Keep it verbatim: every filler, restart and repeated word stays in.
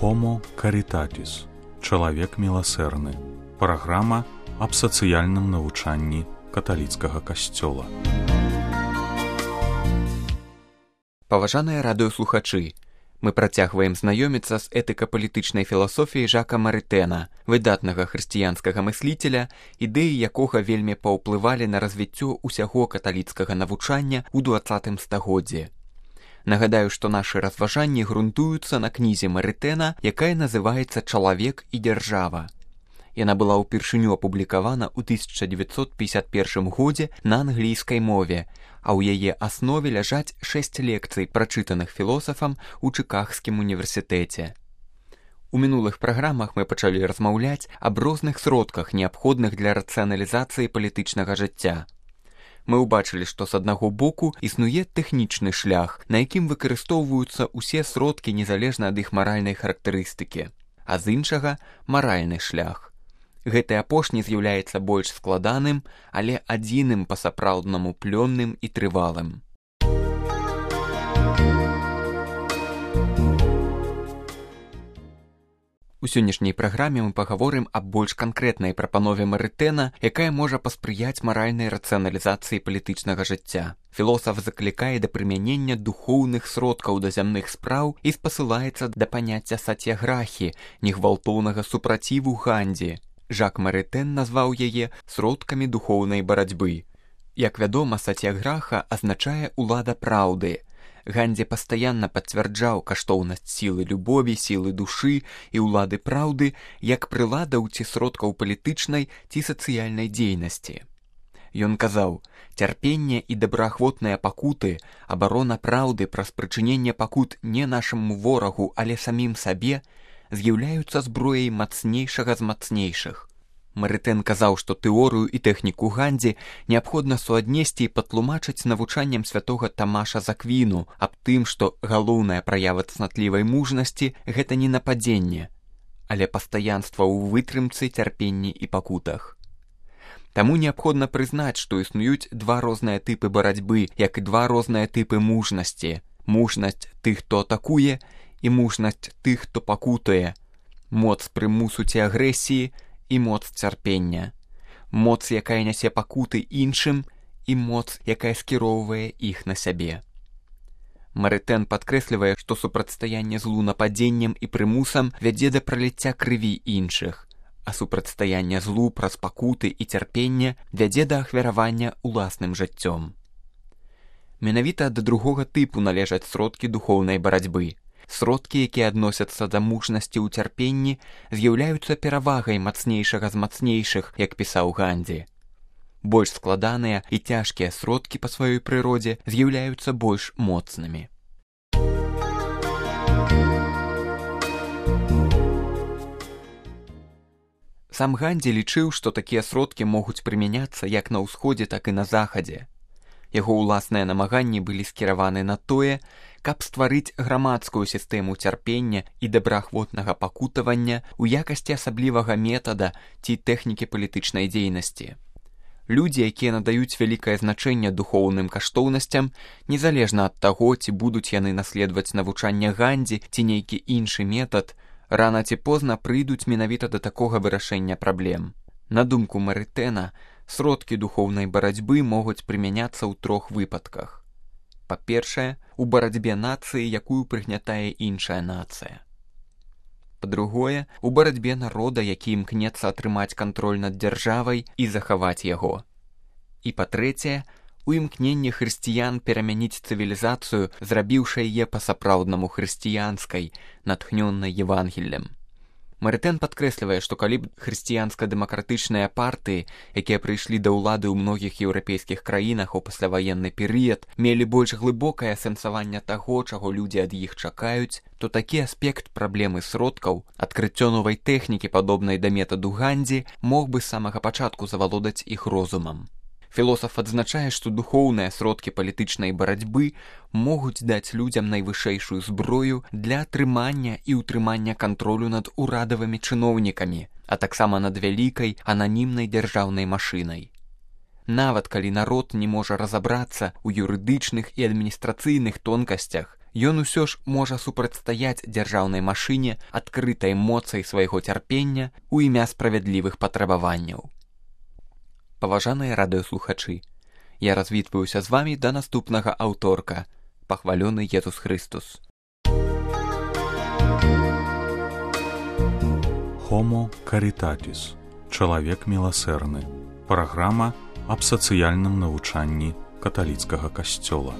Homo Caritatis. Чалавек міласэрны. Праграма аб сацыяльным навучанні каталіцкага касцёла. Паважаныя радыёслухачы, мы працягваем знаёміцца з этыка-палітычнай філасофіяй Жака Марытэна, выдатнага хрысціянскага мысліцеля, ідэі якога вельмі паўплывалі на развіццё ўсяго каталіцкага навучання ў дваццатым стагоддзі. Нагадаю, што нашы разважанні грунтуюцца на кнізе Марытэна, якая называецца «Чалавек і дзяржава». Яна была ўпершыню апублікавана ў тысяча дзевяцьсот пятьдесят першым годзе на англійскай мове, а ў яе аснове ляжаць шэсць лекцый, прачытаных філосафам у Чыкагскім універсітэце. У мінулых праграмах мы пачалі размаўляць аб розных сродках, неабходных для рацыяналізацыі палітычнага жыцця. Мы ўбачылі, што з аднаго боку існуе тэхнічны шлях, на якім выкарыстоўваюцца ўсе сродкі незалежна ад іх маральнай характарыстыкі, а з іншага маральны шлях. Гэты апошні з'яўляецца больш складаным, але адзіным па-сапраўднаму плённым і трывалым. У сённяшняй праграме мы пагаворым аб больш канкрэтнай прапанове Марытэна, якая можа паспрыяць маральнай рацыяналізацыі палітычнага жыцця. Філосаф заклікае да прымянення духоўных сродкаў да зямных спраў і спасылаецца да паняцця сацьяграхі, негвалтоўнага супраціву гандзі. Жак Марытэн назваў яе сродкамі духоўнай барацьбы. Як вядома, сацьяграха азначае ўлада праўды. Гандзі пастаянна пацвярджаў каштоўнасць сілы любові, сілы душы і ўлады праўды як прыладаў ці сродкаў палітычнай ці сацыяльнай дзейнасці. Ён казаў: «Цярпенне і добраахвотныя пакуты, абарона праўды праз прычыненне пакут не нашаму ворагу, але самім сабе, з'яўляюцца зброяй мацнейшага з мацнейшых». Марытэн казаў, што тэорыю і тэхніку гандзі неабходна суаднесці і патлумачыць навучаннем святога Тамаша з Аквіну аб тым, што галоўная праява цнатлівай мужнасці – гэта не нападзенне, але пастаянства ў вытрымцы, цярпенні і пакутах. Таму неабходна прызнаць, што існуюць два розныя тыпы барацьбы, як і два розныя тыпы мужнасці. Мужнасць тых, хто атакуе, і мужнасць тых, хто пакутуе. Моц прымусу ці агрэсіі і моц цярпення. Моц, якая нясе пакуты іншым, і моц, якая скіроўвае іх на сябе. Марытэн падкрэслівае, што супрацьстаянне злу нападзеннем і прымусам вядзе да праліцця крыві іншых, а супрацьстаянне злу праз пакуты і цярпенне вядзе да ахвяравання уласным жыццём. Менавіта да другога тыпу належаць сродкі духоўнай барацьбы. Сродкі, якія адносяцца да мужнасці ў цярпенні, з'яўляюцца перавагай мацнейшага з мацнейшых, як пісаў Гандзі. Больш складаныя і цяжкія сродкі па сваёй прыродзе з'яўляюцца больш моцнымі. Сам Гандзі лічыў, што такія сродкі могуць прымяняцца як на ўсходзе, так і на захадзе. Яго ўласныя намаганні былі скіраваны на тое, каб стварыць грамадскую сістэму цярпення і добраахвотнага пакутавання ў якасці асаблівага метада ці тэхнікі палітычнай дзейнасці. Людзі, якія надаюць вялікае значэнне духоўным каштоўнасцям, незалежна ад таго, ці будуць яны наследаваць навучанне Гандзі ці нейкі іншы метад, рана ці позна прыйдуць менавіта да такога вырашэння праблем. На думку Марытэна, сродкі духоўнай барацьбы могуць прымяняцца ў трох выпадках. Па-першае, у барацьбе нацыі, якую прыгнятае іншая нацыя. Па-другое, у барацьбе народа, які імкнецца атрымаць кантроль над дзяржавай і захаваць яго. І па-трэцяе, у імкненні хрысціян перамяніць цывілізацыю, зрабіўшы яе па-сапраўднаму хрысціянскай, натхнённай Евангеллем. Марытэн падкрэслівае, што калі б хрысціянска-дэмакратычныя партыі, якія прыйшлі да ўлады ў многіх еўрапейскіх краінах у пасляваенны перыяд, мелі больш глыбокае асэнсаванне таго, чаго людзі ад іх чакаюць, то такі аспект праблемы сродкаў, адкрыццё новай тэхнікі, падобнай да метаду Гандзі, мог бы з самага пачатку завалодаць іх розумам. Філосаф адзначае, што духоўныя сродкі палітычнай барацьбы могуць даць людзям найвышэйшую зброю для атрымання і ўтрымання кантролю над урадавымі чыноўнікамі, а таксама над вялікай ананімнай дзяржаўнай машынай. Нават калі народ не можа разабрацца ў юрыдычных і адміністрацыйных тонкасцях, ён усё ж можа супрацьстаяць дзяржаўнай машыне адкрытай моцай свайго цярпення ў імя справядлівых патрабаванняў. Паважаныя радыёслухачы, я развітваюся з вамі да наступнага аўторка. Пахвалёны Езус Христус. Homo Caritatis. Чалавек міласэрны. Праграма аб сацыяльным навучанні каталіцкага касцёла.